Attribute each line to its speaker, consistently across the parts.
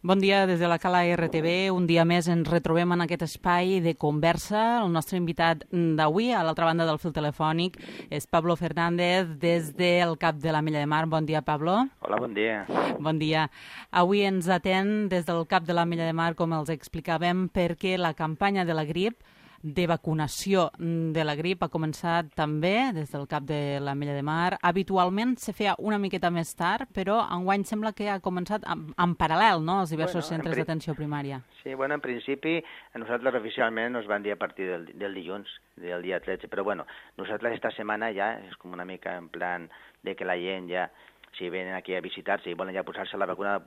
Speaker 1: Bon dia des de la Cala RTV. Un dia més ens retrobem en aquest espai de conversa. El nostre invitat d'avui, a l'altra banda del fil telefònic, és Pablo Fernández, des del CAP de l'Ametlla de Mar. Bon dia, Pablo.
Speaker 2: Hola, bon dia.
Speaker 1: Bon dia. Avui ens atén des del CAP de l'Ametlla de Mar, com els explicàvem, perquè la campanya de la grip, de vacunació de la grip, ha començat també des del CAP de l'Ametlla de Mar. Habitualment se feia una miqueta més tard, però enguany sembla que ha començat en paral·lel, no?, als diversos centres d'atenció primària.
Speaker 2: Sí, bueno, en principi, nosaltres oficialment nos van dir a partir del dilluns, del dia 13, però bueno, nosaltres esta setmana ja és com una mica en plan de que la gent ja, si venen aquí a visitar-se i volen ja posar-se la vacuna,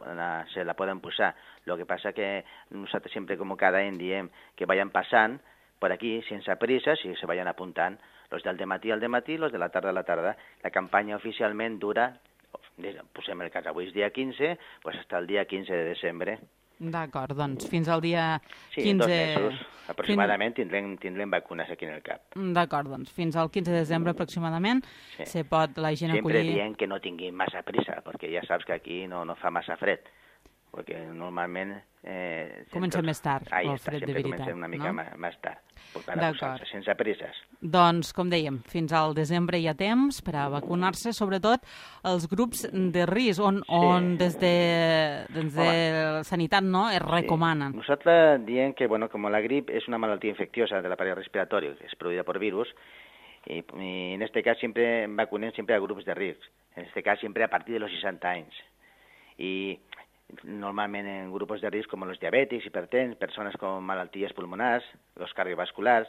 Speaker 2: se la poden posar. Lo que passa que nosaltres sempre, com cada any, diem que vayan passant por aquí, sense prisa, si se vayan apuntant, los del dematí al dematí, los de la tarda a la tarda. La campanya oficialment dura, posem el cas, avui és dia 15, pues hasta el dia 15 de desembre.
Speaker 1: D'acord, doncs fins al dia 15...
Speaker 2: Sí, 2 mesos aproximadament tindrem vacunes aquí en el CAP.
Speaker 1: D'acord, doncs fins al 15 de desembre aproximadament se pot la gent acollir...
Speaker 2: Sempre dient que no tinguin massa prisa, perquè ja saps que aquí no fa massa fred, perquè normalment...
Speaker 1: Comencem més tard, el fred de veritat.
Speaker 2: Comencem una mica més tard, sense presses.
Speaker 1: Doncs, com dèiem, fins al desembre hi ha temps per a vacunar-se, sobretot els grups de risc, on des de Sanitat es recomanen.
Speaker 2: Nosaltres diem que, com la grip és una malaltia infecciosa de l'aparell respiratori, és produïda per virus, y en este caso siempre vacunen siempre a grupos de risc, en este caso siempre a partir de los 60 anys. Y normalmente en grupos de riesgo como los diabéticos, hipertensos, personas con malalties pulmonares, los cardiovasculares.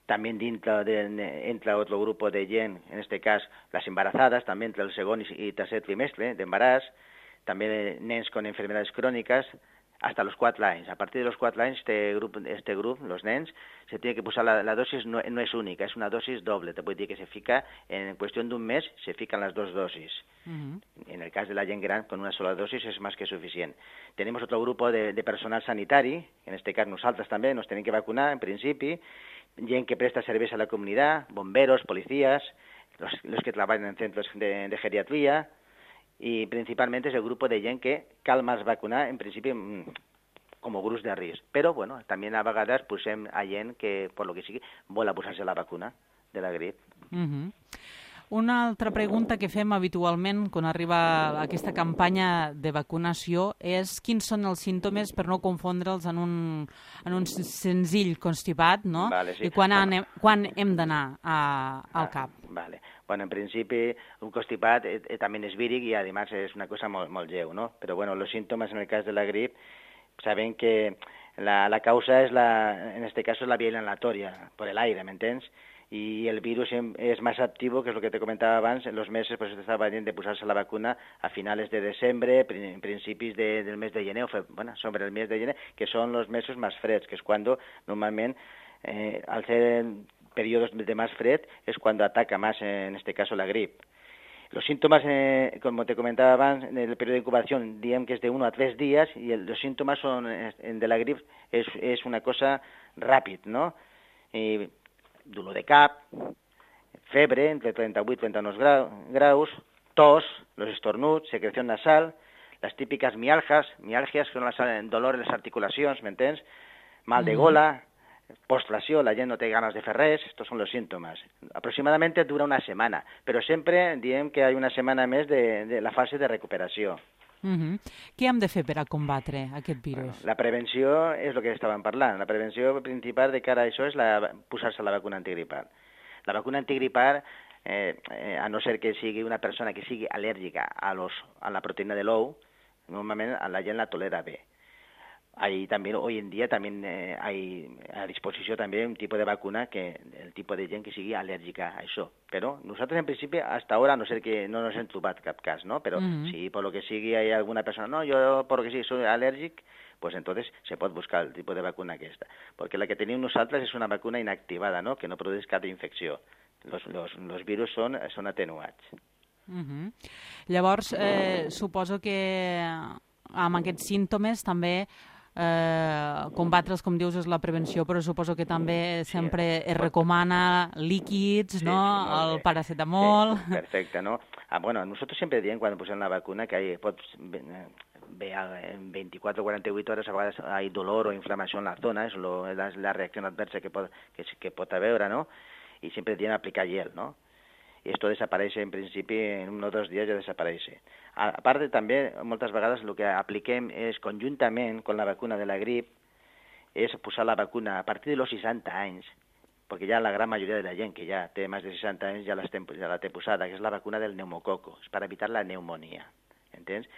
Speaker 2: También entra otro grupo de gent, en este cas las embarazadas, també entre el segon i tercer trimestre d'embaràs, també nens con enfermedades crónicas, hasta los 4 anys. A partir de los 4 anys, este grup, los nens, se tiene que posar la dosis, no es única, es una dosis doble. Te puede decir que se fica, en cuestión de un mes, se fican las 2 dosis. En el cas de la gent gran, con una sola dosis es más que suficient. Tenemos otro grupo de personal sanitari, en este cas nosaltres també nos tenim que vacunar, en principi, gent que presta serveis a la comunitat, bomberos, policías, los que trabajan en centros de geriatría, y principalmente es el grupo de gent que cal más vacunar, en principi, como grups de risc. Però, també a vegades posem a gent que, per lo que sigui, vol posar-se la vacuna de la grip.
Speaker 1: Una altra pregunta que fem habitualment quan arriba aquesta campanya de vacunació és quins són els símptomes per no confondre'ls en un senzill constipat, no?
Speaker 2: Vale, sí.
Speaker 1: I quan hem d'anar al CAP.
Speaker 2: Vale. Bueno, en principi, un constipat també és víric i, además, és una cosa molt lleu, ¿no? Pero, los síntomas en el cas de la grip, saben que la causa es en este caso, es la vía inhalatoria, por el aire, ¿me entiendes? Y el virus es más activo, que es lo que te comentaba abans, en los meses, pues estaba bien de posar-se la vacuna a finales de desembre, en principis del mes de gener, sobre el mes de gener, que son los meses más freds, que es cuando normalment, al ser periodos de más fred, es cuando ataca más, en este caso, la grip. Los síntomas, como te comentaba antes, en el periodo de incubación, diem que es de 1 a 3 días, y los síntomas son de la grip es una cosa ràpid, ¿no? Dolor de cap, febre entre 38 y 39 graus, tos, los estornuts, secreción nasal, las típicas mialgias son dolor en las articulacions, ¿m'entens? Mal de gola, postració, la gent no té ganes de fer res, estos son los síntomas. Aproximadamente dura una semana, pero siempre diem que hay una semana més de la fase de recuperació.
Speaker 1: Què hem de fer per a combatre aquest virus?
Speaker 2: La prevenció és el que estàvem parlant. La prevenció principal de cara a això és posar-se la vacuna antigripal. La vacuna antigripal, a no ser que sigui una persona que sigui al·lèrgica a la proteïna de l'ou, normalment la gent la tolera bé. También, hoy en día también hay a disposició també un tipus de vacuna que el tipus de gent que sigui al·lèrgica a això. Però nosaltres en principi hasta ahora, a no ser que no nos hem trobat cap cas, ¿no? Pero si por lo que sigui hay alguna persona, no, yo por lo que sigui soy alèrgic, pues entonces se pot buscar el tipus de vacuna aquesta. Perquè la que tenim nosaltres és una vacuna inactivada, ¿no? Que no produeix cap infecció. Los virus són atenuats.
Speaker 1: Llavors, suposo que amb aquests símptomes també combatre'ls, com dius, és la prevenció, però suposo que també sempre es recomana líquids, no? El paracetamol...
Speaker 2: Perfecte, no? Nosotros siempre diem, quan posem la vacuna, que pots bé en 24 o 48 hores a vegades hi ha dolor o inflamació en la zona, és la reacció adversa que pot haver, no? I sempre tienen que aplicar gel, ¿no? Y esto desaparece en principi en 1 o 2 dies ja desaparece. A part també, moltes vegades el que apliquem és conjuntament amb la vacuna de la grip és posar la vacuna a partir de los 60 anys, perquè ja la gran majoria de la gent que ja té més de 60 anys ja la té posada, que és la vacuna del pneumococo, és per evitar la pneumonia, entens?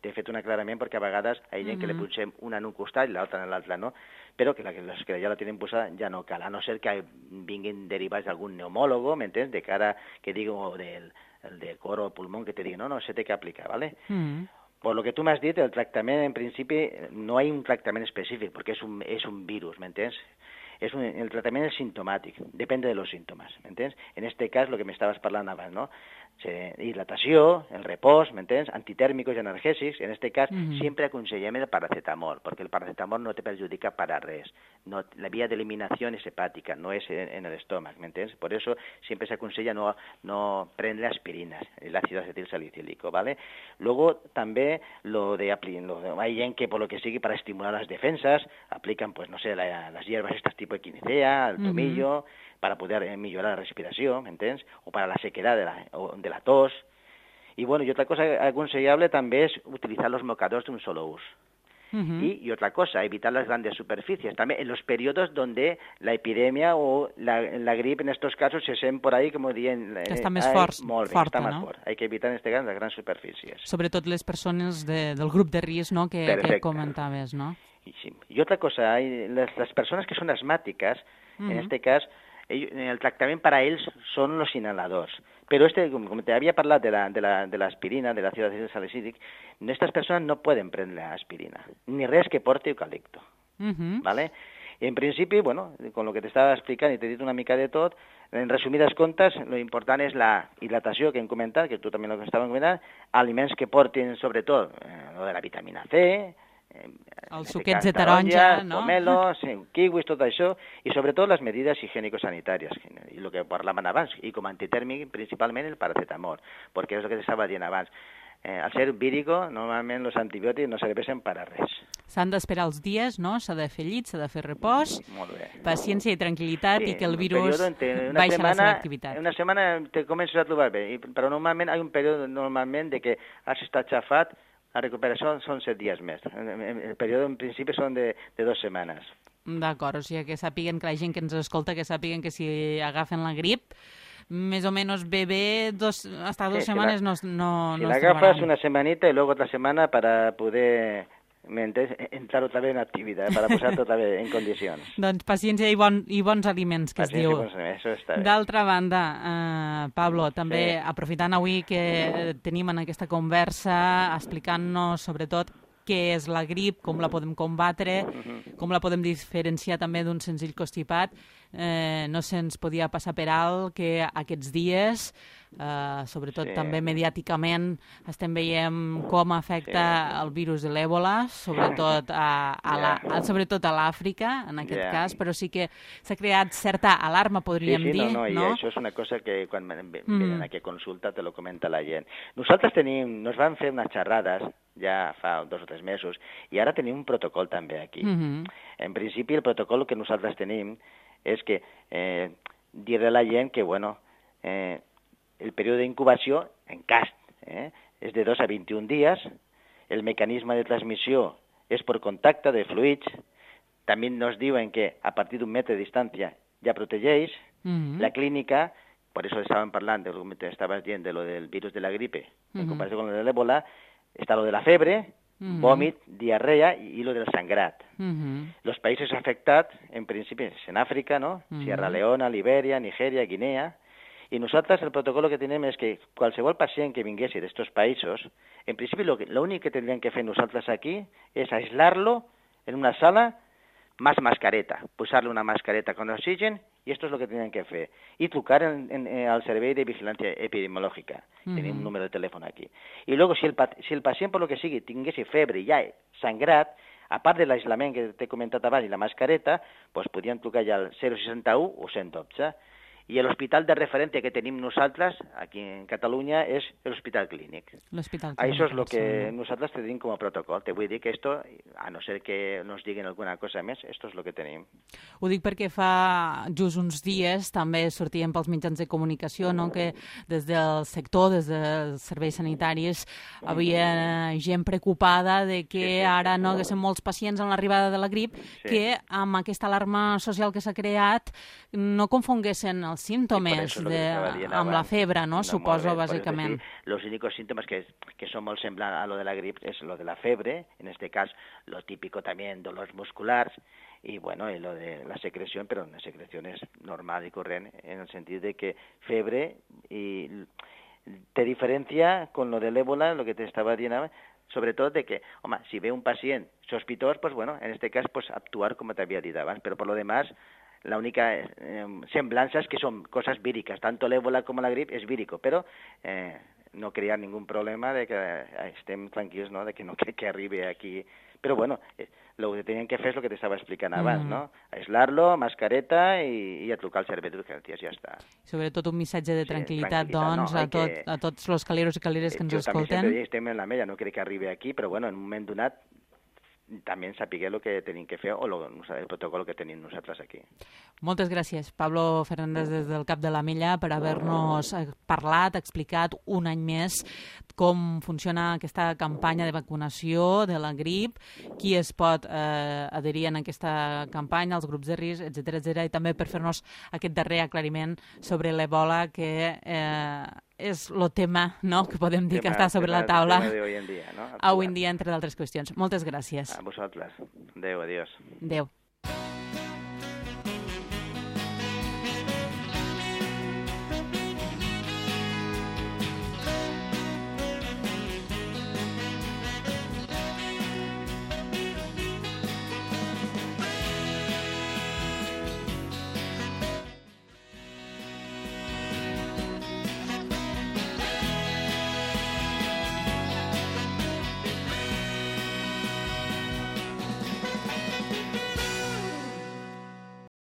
Speaker 2: T'he fet un aclarament perquè a vegades hi ha gent que li posem una en un costat i l'altra en l'altre, no? Però que les que ja la tenen posada ja no cal, a no ser que vinguin derivats d'algun neumòlogo, m'entens? De cara que digui, o del de cor o pulmón que te digui, no, se té que aplicar, ¿vale? Por lo que tú me has dit, el tractament, en principi, no hay un tractament específic, perquè és un virus, m'entens? El tratamiento es sintomático, depende de los síntomas, ¿me entiendes? En este caso, lo que me estabas hablando antes, ¿no? Hidratación, el repòs, ¿me entiendes? Antitèrmicos i analgèsics, en este cas, sempre aconsellem el paracetamol, perquè el paracetamol no te perjudica para res. No, la vía de eliminación es hepática, no es en el estómago, ¿me entiendes? Por eso siempre se aconsella no prendre aspirinas, el ácido acetil salicílico, ¿vale? Luego, també, hay gent que, por lo que sigui, para estimular las defensas, aplican, pues, no sé, las hierbas estas tipo equinacea, el tomillo, para poder mejorar la respiración, ¿me entiendes? O para la sequedad de la tos. Y bueno, y otra cosa aconsellable también es utilizar los mocadores de un solo uso. Y otra cosa, evitar las grandes superficies. También en los periodos donde la epidemia o la gripe, en estos casos, se sent por ahí, como dient...
Speaker 1: Que està més forta,
Speaker 2: no? Fort. Hay que evitar, en este caso, las grandes superficies.
Speaker 1: Sobretot les persones del grup de risc, no?, que comentaves, ¿no?
Speaker 2: Y otra cosa, las personas que son asmáticas, en este caso, el tractament para ells són los inhaladors. Però com te havia parlat de l'aspirina, de l'àcid acètic salicílic, estas personas no pueden prendre aspirina, ni res que porte eucalipto, ¿vale? En principi, bueno, con lo que te estava explicant i t'he dit una mica de tot, en resumides comptes, lo important és la hidratació que hem comentat, que tu també lo estàvem comentant, aliments que portin, sobretot, lo de la vitamina C,
Speaker 1: els suquets de taronja, no?
Speaker 2: Pomelos, kiwis, tot això, i sobretot les medides higiènico-sanitàries, i el que parlaven abans, i com a antitèrmic principalment el paracetamol, perquè és el que estava dient abans. Al ser vírico, normalment els antibiòtics no serveixen per a res.
Speaker 1: S'han d'esperar els dies, no? S'ha de fer llit, s'ha de fer repòs, paciència i tranquil·litat, i que el virus baixa la seva activitat.
Speaker 2: Una setmana te comences a trobar bé, però normalment hi ha un període de que has estat xafat. La recuperació són 7 dies més. El període, en principi, són de 2 setmanes.
Speaker 1: D'acord, o sigui que sàpiguen que la gent que ens escolta, que sàpiguen que si agafen la grip, més o menys bé, hasta 2 setmanes no
Speaker 2: si l'agafes una setmanita i luego otra semana para poder entrar otra vez en activitat, para posar otra vez en condicions.
Speaker 1: Doncs paciència i bons aliments, que es diu.
Speaker 2: Això està bé.
Speaker 1: D'altra banda, Pablo, també aprofitant avui que tenim en aquesta conversa, explicant-nos sobretot què és la grip, com la podem combatre, com la podem diferenciar també d'un senzill constipat, no se'ns podia passar per alt que aquests dies, sobretot també mediàticament, estem veient com afecta el virus de l'èbola, sobretot a l'Àfrica, en aquest cas, però sí que s'ha creat certa alarma, podríem dir.
Speaker 2: I això és una cosa que quan venen aquí a consulta te lo comenta la gent. Nosaltres nos van fer unes xerrades ja fa 2 o 3 mesos, i ara tenim un protocol també aquí. En principi, el protocol que nosaltres tenim és que dir-li a la gent que, bueno, el període d'incubació, en cas, és de 2 a 21 dies, el mecanisme de transmissió és per contacte de fluids, també nos diuen que a partir d'un metre de distància ja protegeix, la clínica, per això estàvem parlant, com estaves dient, de lo del virus de la gripe, en comparació amb lo de l'èbola, està lo de la febre, vòmit, diarrea i lo del sangrat. Los países afectats, en principi, és en Àfrica, no? Sierra Leona, Libèria, Nigèria, Guinea. I nosaltres el protocol que tenim és que qualsevol pacient que vinguessi d'estos països, en principi l'únic que tindríem que fer nosaltres aquí és aislar-lo en una sala más mascareta, posar-li una mascareta con oxigen, i esto es lo que tenen que fer. I trucar al Servei de Vigilància Epidemiològica. Tenim un número de telèfon aquí. I luego, si el pacient, per lo que sigui, tingués febre i ja sangrat, a part de l'aislament que t'he comentat abans i la mascareta, pues podien trucar ja al 061 o 112. I l'hospital de referència que tenim nosaltres aquí en Catalunya és l'Hospital Clínic.
Speaker 1: L'Hospital Clínic.
Speaker 2: Això és el que nosaltres tenim com a protocol. Te vull dir que esto, a no ser que nos diguen alguna cosa més, esto és el que tenim.
Speaker 1: Ho dic perquè fa just uns dies també sortien pels mitjans de comunicació, no?, que des del sector, des dels serveis sanitaris, havia gent preocupada de que ara no haguessin molts pacients en l'arribada de la grip, que amb aquesta alarma social que s'ha creat no confonguessin els símptomes amb la febre, no? Suposo, bàsicament.
Speaker 2: Los únicos síntomas que son muy semblantes a lo de la gripe es lo de la fiebre, en este caso lo típico también dolores musculares y bueno, y lo de la secreción, pero una secreción es normal y corriente en el sentido de que fiebre y te diferencia con lo del ébola, lo que te estaba diciendo, sobre todo de que, home, si ve un pacient sospitós, pues bueno, en este cas, pues actuar como te había dit abans, pero por lo demás, la única semblança es que son cosas víricas, tanto el ébola como la gripe es vírico, pero no crear ningún problema de que estem tranquils, ¿no?, de que no que arribe aquí. Pero bueno, lo que tenían que fer és el que t'estava explicant abans, no? Aislar-lo, mascareta i a trucar al servei d'urgències, ja està.
Speaker 1: Sobretot un missatge de tranquil·litat, doncs, a tots els caleros i caleres que ens escolten.
Speaker 2: Jo també sempre estem en la mella, no crec que arribi aquí, però bueno, en un moment donat també sapigueu el que tenim que fer o el protocol que tenim nosaltres aquí.
Speaker 1: Moltes gràcies, Pablo Fernández, des del Cap de la Mella, per haver-nos parlat, explicat un any més com funciona aquesta campanya de vacunació de la grip, qui es pot adherir en aquesta campanya, els grups de risc, etc., i també per fer-nos aquest darrer aclariment sobre l'Ebola, que és el tema, no?, que podem dir que està sobre la taula
Speaker 2: avui en dia, no?
Speaker 1: Avui en dia, entre d'altres qüestions. Moltes gràcies.
Speaker 2: A vosaltres. Adéu, adiós.
Speaker 1: Adéu.